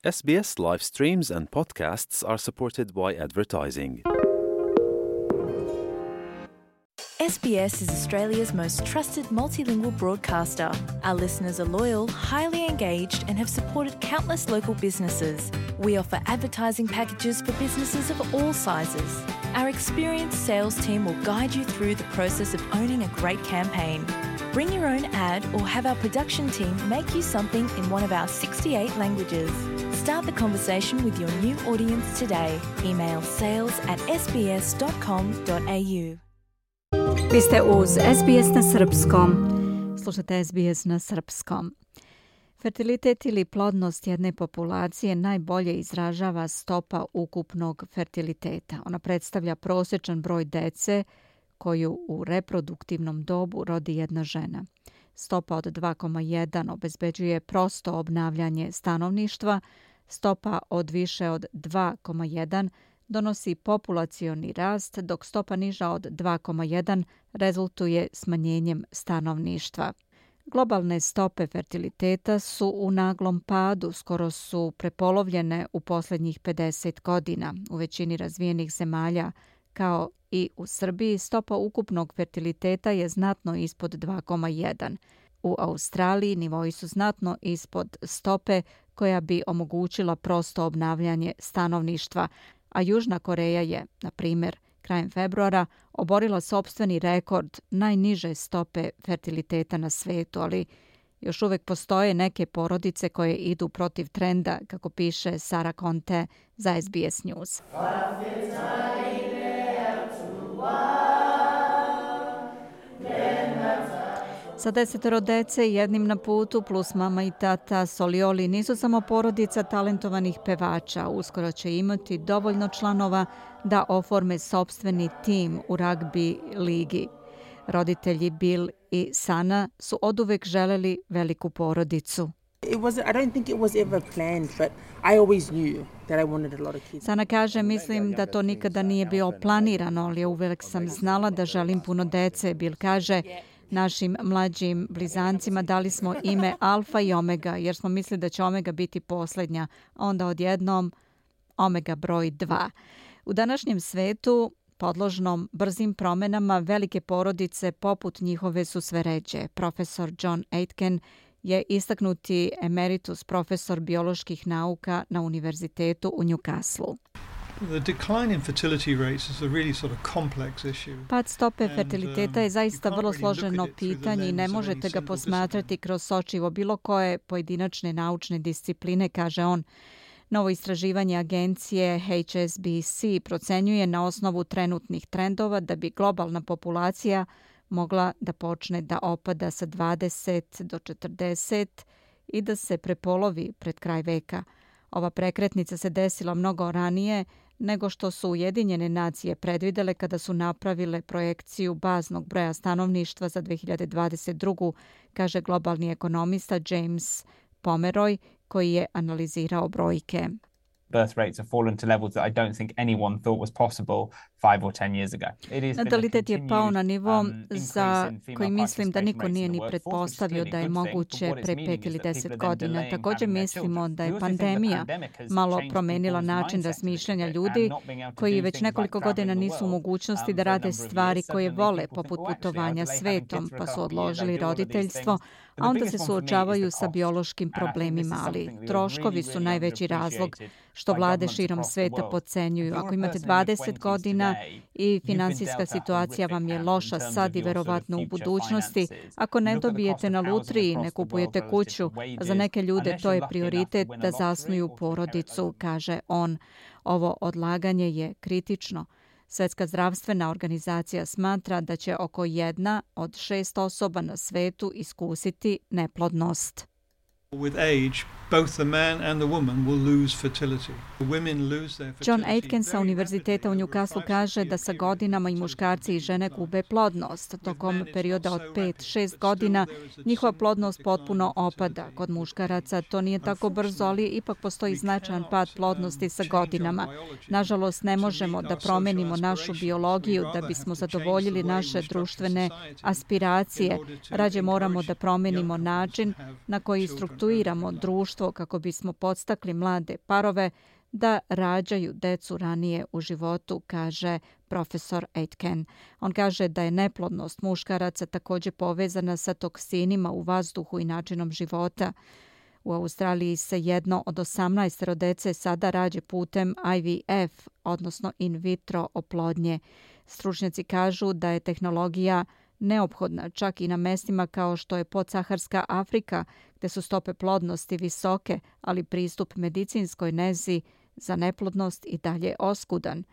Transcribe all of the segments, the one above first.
SBS live streams and podcasts are supported by advertising. SBS is Australia's most trusted multilingual broadcaster. Our listeners are loyal, highly engaged, and have supported countless local businesses. We offer advertising packages for businesses of all sizes. Our experienced sales team will guide you through the process of owning a great campaign. Bring your own ad or have our production team make you something in one of our 68 languages. Start the conversation with your new audience today. Email sales@sbs.com.au. Vi ste uz SBS na srpskom. Slušate SBS na srpskom. Fertilitet ili plodnost jedne populacije najbolje izražava stopa ukupnog fertiliteta. Ona predstavlja prosječan broj dece koju u reproduktivnom dobu rodi jedna žena. Stopa od 2,1 obezbeđuje prosto obnavljanje stanovništva, stopa od više od 2,1 donosi populacioni rast, dok stopa niža od 2,1 rezultuje smanjenjem stanovništva. Globalne stope fertiliteta su u naglom padu, skoro su prepolovljene u posljednjih 50 godina. U većini razvijenih zemalja, kao i u Srbiji, stopa ukupnog fertiliteta je znatno ispod 2,1. U Australiji nivoi su znatno ispod stope koja bi omogućila prosto obnavljanje stanovništva, a Južna Koreja je, na primjer, krajem februara oborila sopstveni rekord najniže stope fertiliteta na svetu, ali još uvijek postoje neke porodice koje idu protiv trenda, kako piše Sara Conte za SBS News. Sa 10 dece i jednim na putu plus mama i tata, Solioli nisu samo porodica talentovanih pevača. Uskoro će imati dovoljno članova da oforme sopstveni tim u ragbi ligi. Roditelji Bill i Sana su oduvek želeli veliku porodicu. Sana kaže, mislim da to nikada nije bilo planirano, ali uvek sam znala da želim puno dece. Bill kaže, našim mlađim blizancima dali smo ime Alfa i Omega, jer smo mislili da će Omega biti posljednja, a onda odjednom Omega broj 2. U današnjem svetu, podložnom brzim promenama, velike porodice poput njihove su sve ređe. Profesor John Aitken je istaknuti emeritus profesor bioloških nauka na univerzitetu u Newcastle. Pad stope fertiliteta je zaista vrlo složeno pitanje i ne možete ga posmatrati kroz sočivo bilo koje pojedinačne naučne discipline, kaže on. Novo istraživanje agencije HSBC procenjuje na osnovu trenutnih trendova da bi globalna populacija mogla da počne da opada sa 20 do 40 i da se prepolovi pred kraj veka. Ova prekretnica se desila mnogo ranije nego što su Ujedinjene nacije predvidele kada su napravile projekciju baznog broja stanovništva za 2022. kaže globalni ekonomista James Pomeroy, koji je analizirao brojke. Birth rates have fallen to levels that I don't think anyone thought was possible 5 or 10 years ago. Natalitet je pao na nivo za koji mislim da niko nije ni pretpostavio da je moguće pre 5 ili 10 godina. Također mislimo da je pandemija malo promenila način razmišljanja ljudi koji već nekoliko godina nisu u mogućnosti da rade stvari koje vole, poput putovanja svetom, pa su odložili roditeljstvo, a onda se suočavaju sa biološkim problemima, ali troškovi su najveći razlog što vlade širom sveta podcenjuju. Ako imate 20 godina i finansijska situacija vam je loša sad i verovatno u budućnosti, ako ne dobijete na lutriji, ne kupujete kuću, a za neke ljude to je prioritet da zasnuju porodicu, kaže on. Ovo odlaganje je kritično. Svjetska zdravstvena organizacija smatra da će oko 1 od 6 osoba na svetu iskusiti neplodnost. With age, both the man and the woman will lose fertility. The women lose their fertility. John Aitken sa univerziteta u Newcastle kaže da sa godinama i muškarci i žene gube plodnost. Tokom perioda od 5-6 godina njihova plodnost potpuno opada. Kod muškaraca to nije tako brzo, ali ipak postoji značajan pad plodnosti sa godinama. Nažalost, ne možemo da promenimo našu biologiju da bismo zadovoljili naše društvene aspiracije. Rađe moramo da promenimo način na koji strukturiramo društvo iskustvo kako bismo podstakli mlade parove da rađaju decu ranije u životu, kaže profesor Aitken. On kaže da je neplodnost muškaraca također povezana sa toksinima u vazduhu i načinom života. U Australiji se 1 od 18 dece sada rađa putem IVF, odnosno in vitro oplodnje. Stručnjaci kažu da je tehnologija neophodna čak i na mestima kao što je podsaharska Afrika, gdje su stope plodnosti visoke, ali pristup medicinskoj nezi za neplodnost i dalje oskudan.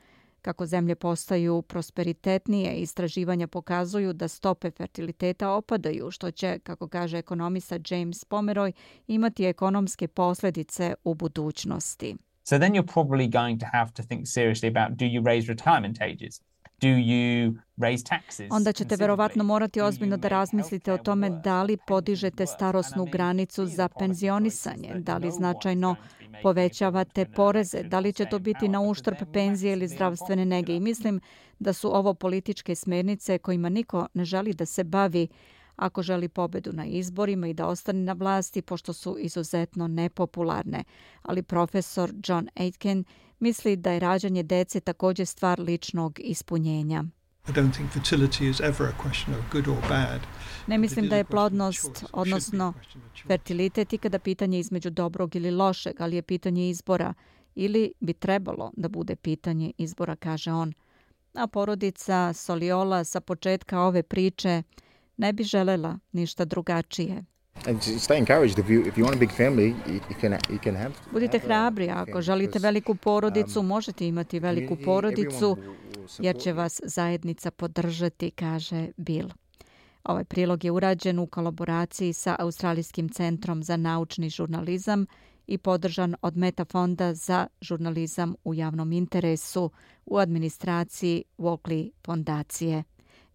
Kako zemlje postaju prosperitetnije, istraživanja pokazuju da stope fertiliteta opadaju, što će, kako kaže ekonomista James Pomeroy, imati ekonomske posljedice u budućnosti. So then you're probably going to have to think seriously about, do you raise retirement ages? Do you raise taxes? Onda ćete verovatno morati ozbiljno da razmislite o tome da li podižete starosnu granicu za penzionisanje, da li značajno povećavate poreze, da li će to biti na uštrb penzije ili zdravstvene nege. I mislim da su ovo političke smjernice kojima niko ne želi da se bavi ako želi pobedu na izborima i da ostane na vlasti, pošto su izuzetno nepopularne. Ali profesor John Aitken misli da je rađanje dece također stvar ličnog ispunjenja. Ne mislim da je plodnost, odnosno fertilitet, ikada pitanje između dobrog ili lošeg, ali je pitanje izbora. Ili bi trebalo da bude pitanje izbora, kaže on. A porodica Soliola sa početka ove priče ne bi želela ništa drugačije. Budite hrabri, ako želite veliku porodicu, možete imati veliku porodicu, jer će vas zajednica podržati, kaže Bill. Ovaj prilog je urađen u kolaboraciji sa Australijskim centrom za naučni žurnalizam i podržan od Meta fonda za žurnalizam u javnom interesu u administraciji Walkley fondacije.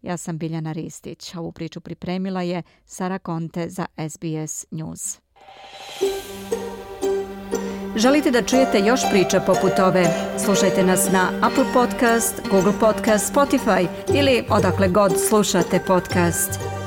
Ja sam Biljana Ristić. Ovu priču pripremila je Sara Conte za SBS News. Želite da čujete još priča poput ove? Slušajte nas na Apple Podcast, Google Podcast, Spotify ili odakle god slušate podcast.